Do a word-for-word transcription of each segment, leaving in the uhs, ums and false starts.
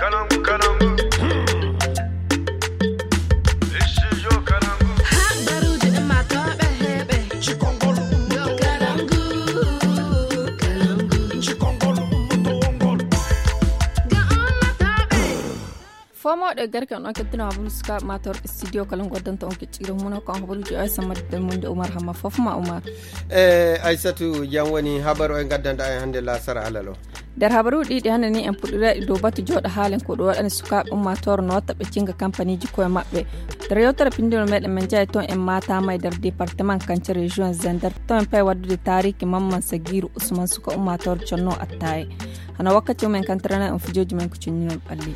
Kalangu, kalangu. Studio Kalangu. Habaruuji ɗin maa tooɓe heɓe. Cikongol. Yo Kalangu, Kalangu. Cikongol, ummatowol ngol. Ga ummatooɓe. Fomooɗo e garke on, on kettino habaru sukaaɓe maa tooɓe studio Kalangu waddanta on kecciro muno ko on habaruuji o e sammadde mun de Umar Hamma fof ma Umar. E Aysatu, jam woni habaru o e gaddanɗa en hannde laasara alal o. Nder habaruuji ɗiɗi hannde ni, en puɗɗirayɗi dow batu jooɗo haalen ko ɗum waɗani sukaaɓe ummaatoore no watta ɓe cinga kampaniiji koye maɓɓe. Nder yewtere pinndinol meɗen, men njahay toon en Matam e nder département Kance, région Zender. Toon en payi waddude taariiki Mamman Sagiiru Usman, suka ummaatoore conno attaaye. Hano wakkati o men kantirana on fijooji men ko cinninol ɓalli.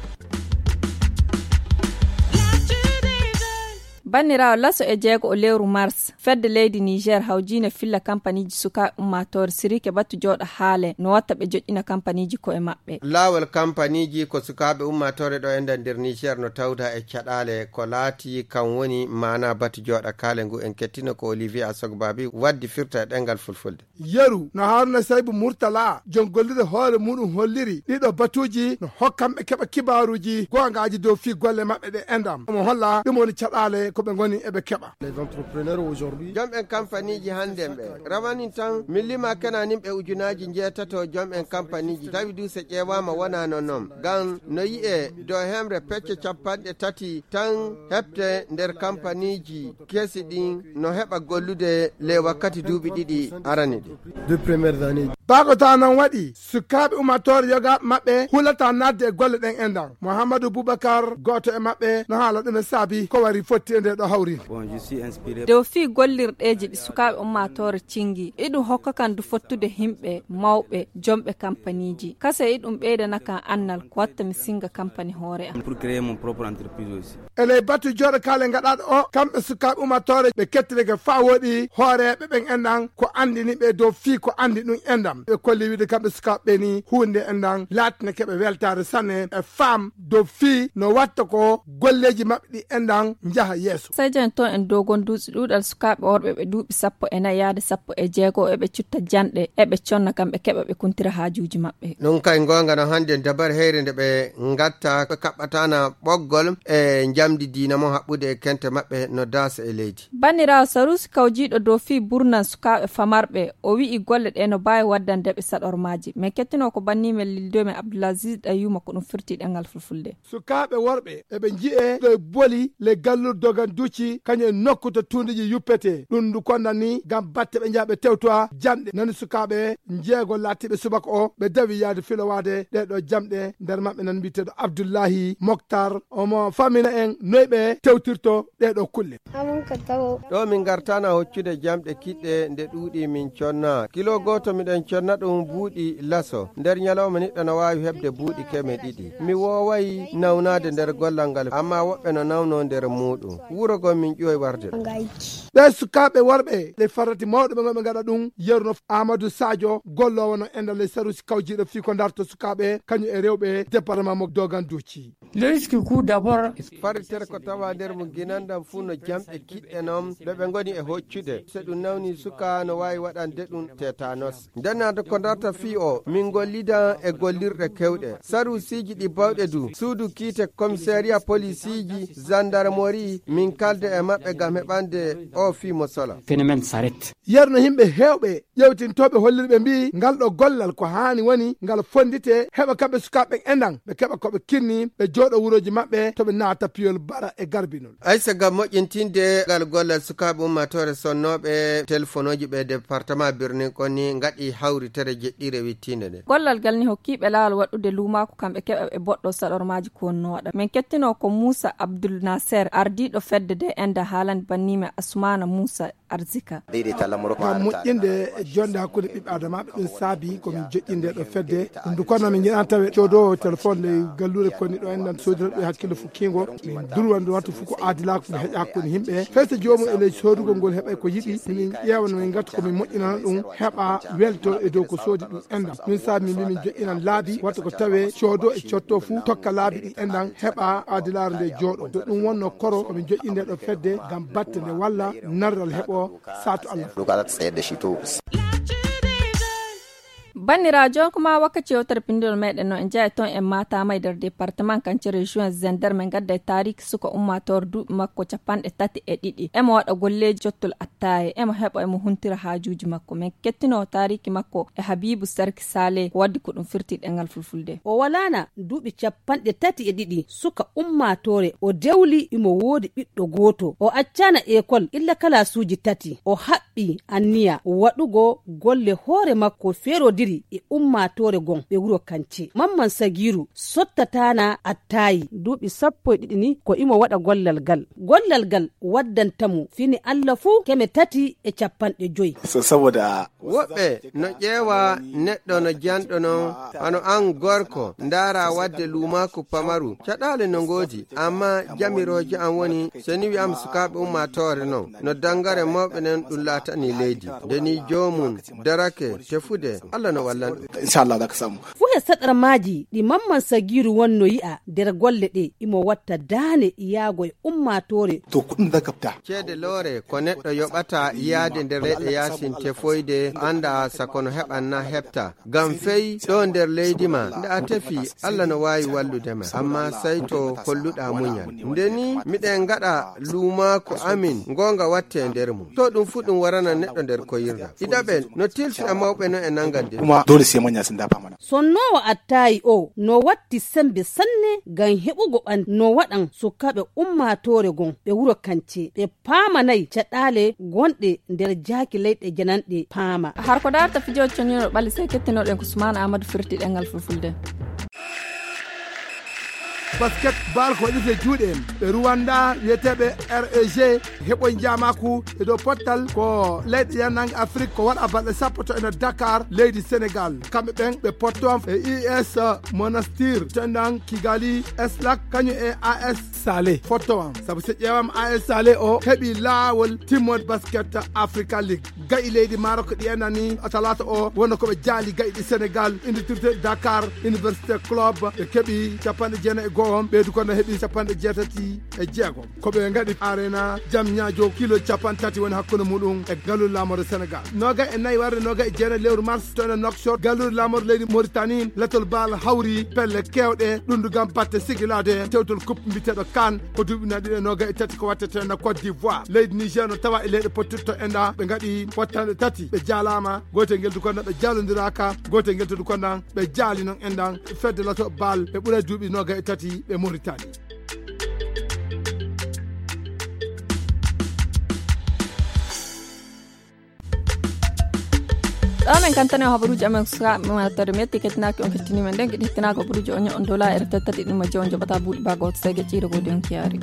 Banniraawo, laso e jeego o lewru mars, fedde leydi Niger hawjiinde filla kampaniiji sukaaɓe ummaatoore sirike batu jooɗo haale no watta ɓe joƴƴina kampaniiji koye maɓɓe. Laawol kampaniiji ko sukaaɓe ummaatoore ɗo enda nder Niger no tawda e caɗaale ko laati kan woni maana batu jooɗo kaale ngu en kettino ko Olivier Asogbabi waddi firta e ɗengal fulfulde. Yeru no Haruna Saibu Murtala, jon gollirde hoore muɗum holliri ɗiɗo batuuji no hokkamɓe keɓa kibaaruuji goongaaji dow fii golle maɓɓe ɗe endam. Omo holla ɗum woni caɗaale ko ɓe ngoni eɓe keɓa. Les entrepreneurs aujourd'hui. Jom en kampaniiji hannde ɓe rawanin tan min lima kenanin ɓe ujunaaji njeetato jom en kampaniiji tawi du so ƴeewaama wonaa no noon. Ngam no yi'ee dow hemre pecce capanɗe tati tan heɓte nder kampaniiji kesi ɗin no heɓa gollude ley wakkati duuɓi ɗiɗi arani ɗi. Deux premières années. Baago ta noon waɗi, sukaaɓe ummaatoore yogaaɓe maɓɓe hulata naatde e golle ɗen e ndan. Mouhamadou Boubacar, gooto e maɓɓe, no haala ɗum e saabi ko wari fotti e nde ɗo hawri. Bon, je suis inspiré. Dow fii gollirɗeeji ɗi sukaaɓe ummaatoore cingi, iɗum hokka kan du fottude himɓe mawɓe, jomɓe kampaniiji. Kase iɗum ɓeydana kan annal ko watta mi singa kampani hoore am. Pour créer mon propre entreprise aussi. E ley batu jooɗo kaale gaɗaaɗo o, kamɓe sukaaɓe ummaatoore ɓe kettirike faa wooɗi hooreeɓe ɓen enɗan ko anndini ɓe dow fii ko anndi ɗum enɗan. Ɓe kolli wiide kamɓe sukaaɓe ɓe ni huunde enɗan laatine keɓe weltaare sanne e faam dow fii no watta ko golleeji maɓɓe ɗi enɗan njaha yeeso. Sey jon toon en dogon duusi ɗuuɗal sukaaɓe worɓe ɓe duuɓi sappo e nayi yaade sappo e jeego eɓe cutta janɗe eɓe conna kam ɓe keɓa ɓe kuntira haajuuji maɓɓe. Ɗum kay goonga no hannde dabar heyre nde ɓe ngatta ɓe kaɓɓatana ɓoggol e njamdi diina mo haɓɓude e kente maɓɓe no daasa e leydi. Banniraawo Saruusi kawjiiɗo dow fii burnan sukaaɓe famarɓe, o wi'i golle ɗe no baawi waddande ɓe saɗormaaji. Men kettinoo ko banni men lildo men Abdulaziz Ɗayyuma ko ɗum firti ɗengal fulfulde. Sukaaɓe worɓe eɓe nji'e ɗo e boli le gallur dogan duci kañum e nokku to tuundiji yuppete. Ɗum ndu kondani ngam batte ɓe njaha ɓe tewtowa jamɗe. Nani sukaaɓe njeego laatiiɓe subaka o ɓe dawi yaade filowaade ɗee ɗo jamɗe. Nder maɓɓe nan mbiyeteeɗo Abdullahi Moktar, omo famina en noy ɓe tewtirto ɗee ɗo kulle. Ɗo min ngartana hoccude jamɗe kiɗɗe nde ɗuuɗi min conna. Kilo gooto miɗen conna ɗum buuɗi laso. Nder ñalawma niɗɗo no waawi heɓde buuɗi keme ɗiɗi. Mi wooway nawnaade nder gollal ngal, amma woɓɓe no nawno nder muuɗum. Wuro goo min ƴooy warde ɗo. Ɓee sukaaɓe worɓe, ɗe farati mawɗo ɓe ngonɓe ngaɗa ɗum, yeru no Amadou Sadio, golloowo no enɗan ley saruusi kawjiiɗo fii ko darto sukaaɓe, kañum e rewɓe département mo Dogan Duuci. Le risque coût d'abord. Faritere ko tawa nder mum ginandam fuu no jamɗe kiɗɗe noon ɗo ɓe ngoni e hoccude. So ɗum nawni suka no waawi waɗande ɗum tétanos. Ndennaade ko darta fii o, min ngollida e gollirɗe kewɗe. Saruusiiji ɗi bawɗe du, suudu kiite, commissariat, polisiiji, gendarmerie, min kalda e maɓɓe ngam heɓande o fii mo sola. Phénomène s'arrête. Yerno yimɓe heewɓe ƴeewtintooɓe holliri ɓe mbiyi ngal ɗo gollal ko haani woni ngal fonndite heɓa kamɓe sukaaɓe ɓen enɗan ɓe keɓa ko ɓe kinni ɓe jooɗo wurooji maɓɓe to ɓe naata piyol bara e garbinol. Aysa, ngam moƴƴintinde ngal gollal sukaaɓe ummaatoore sonnooɓe telefonooji ɓe département Birnin Konni ngaɗi hawritere jeɗɗiire wittiinde nde. Gollal ngal ni hokkiiɓe laawol waɗude luumaaku kamɓe keɓa ɓe boɗɗo saɗormaaji ko wonnooɗa. Min kettinoo ko Muusa Abdul Naser, ardiiɗo fedde de enda haalani banniime Asmaana Muusa Arzika. Ngam moƴƴinde e jonde hakkunde ɓiɓɓe adamaaɓe, ɗum saabi ko min joƴƴinde ɗo fedde. Ɗum du kono min njiɗan tawe coodoowo téléphone ley galluure konni ɗo enɗan soodira ɗum e hakkille fukkiingo. Min durwan ɗum wattu fof ko aadilaaku nde heƴa hakkunde yimɓe. Fay so joomum e ley soodugol ngol heɓay ko yiɗi, min ƴeewa no min ngattu ko min moƴƴinana ɗum, heɓa welto e dow ko soodi ɗum enɗan. Ɗum saabi min mbi min joƴƴinan laabi, watta ko tawe coodo e cotto fof tokka laabi ɗi enɗan, heɓa aadilaare nde jooɗo. To ɗum wonno koro, ko min joƴƴinde ɗo fedde ngam batte nde walla narral heɓo. Saatu Allah. Ɗum ko alaa seeɗa sito. Banndiraajo, ko maa wakkati yewtere pinndol meeɗen no en njahay toon e Matam e nder département Kancere juin Zender, men ngadda e taariki suka ummaatoore duuɓi makko capanɗe tati e ɗiɗi. Emo waɗa golleeji jottol attaaye, emo heɓa, emo huntira haajuuji makko. Men kettinoo taariki makko e Habibu Sarki Sale, ko waddi ko ɗum firti ɗemngal fulfulde. O walaana duuɓi capanɗe tati e ɗiɗi, suka ummaatoore, o dewli imo woodi ɓiɗɗo gooto. O accaana ekol illa kalaasuuji tati. O haɓɓi anniya waɗugo golle hoore makko feerodiri e ummaatoore gon ɓe wuro Kance. Mamman Sagiiru sottataana attaayi duuɓi sappo e ɗiɗi ni ko imo waɗa gollal gal. Gollal gal waddanta mo fini Alla fuu keme tati e capanɗe joy. Woɓɓe no ƴeewa neɗɗo no janɗo non, hano an gorko, ndaara wadde luumaaku pamaru. Caɗaale no ngoodi, amma jamirooje am woni, so ni wi'am sukaaɓe ummaatoore non, no dangare mawɓe nen ɗum laatanii leydi. Nde ni joomum darake tefude, Alla no wallan ɗum. Inchallah, za ka samu. Fuu he saɗarmaaji ɗi Mamman Sagiiru wonno yi'a nder golle ɗe, imo watta daane yaago e ummaatoore. To kuɗin za ka fita. Ceede loore ko neɗɗo yoɓata yaade nder leyɗe yaasin tefoyde, annda sako no heɓan na heɓta. Ngam fey ɗo nder leydi ma, nde a tefi, Alla no waawi wallude ma. Amma sey to kolluɗaa muñal. Nde ni miɗen ngaɗa luumaaku amin, ngoonga watte nder mum. To ɗum fuu ɗum warana neɗɗo nder koyirɗam. Ɗiɗaɓel, no tilsi e mawɓe no e nanngan nder. Kuma dole sai manya sun dafa mana. Sonnoowo attaayi o no watti semmbe sanne ngam heɓugo ɓan no waɗan sukaaɓe ummaatoore gon ɓe wuro Kance ɓe paamanay caɗaale gonɗe nder jaaki leyɗe jananɗe paama. Har ko daarta fijooji coniino ɓalli sey kettinoɗen ko Sumaana Aamadu firti ɗemngal fulfulde. Basket bal ko waɗirte juuɗe en ɓe Rwanda wiyeteeɓe R E G heɓoy njaamaaku e dow pottal ko leyɗe yannange Afrik ko waɗa balɗe sappo to ene Dakar leydi Senegal. Kamɓe ɓen ɓe potto am e I S Monastir to enɗan Kigali Eslak kañum e A S Sale fotto am. Sabu so ƴeewam A S Sale o heɓi laawol timmode basket Africa League. Ga'i leydi Maroc ɗi enani talaata o wonno ko ɓe jaali ga'i ɗi Senegal, Université Dakar, Université Club, ɓe keɓi capanɗe jeenayi e go'o, ɓeydu kono heɓi capanɗe jeetati e jeego. Ko ɓe ngaɗi arena jam ñaajo kilo capanɗe tati woni hakkunde muɗum e galluɗe laamorde Senegal. Noga e nayi warde noga e jeenayi lewru mars to ene Nouakchott, galluɗe laamorde leydi Mauritanie, latol bal hawri pelle kewɗe, ɗum du gam batte sigilaade tewtol coupe mbiteɗo kan ko duuɓi na ɗiɗi e noga e tati ko watte to ene Côte d'Ivoire. Leydi Niger no tawa e leyɗe pottirto enɗa, ɓe ngaɗi wattanɗe tati, ɓe jaalama, gootel ngel du kondan ɓe jaalondiraka, gootel ngel to du kondan ɓe jaali non enɗan fedde lato bal ɓe ɓuura duuɓi noga e tati ɓe Mauritanie. Ɗon en kantane o habaruuji amen sukaaɓe men wattorde metti kettinaaki on kettini men ɗen giɗi hettinaaka habaruuji o ño'on dola e reta tati ɗum e jowo joɓata buuɗi baago hoto seege ciire goo den kiyaari.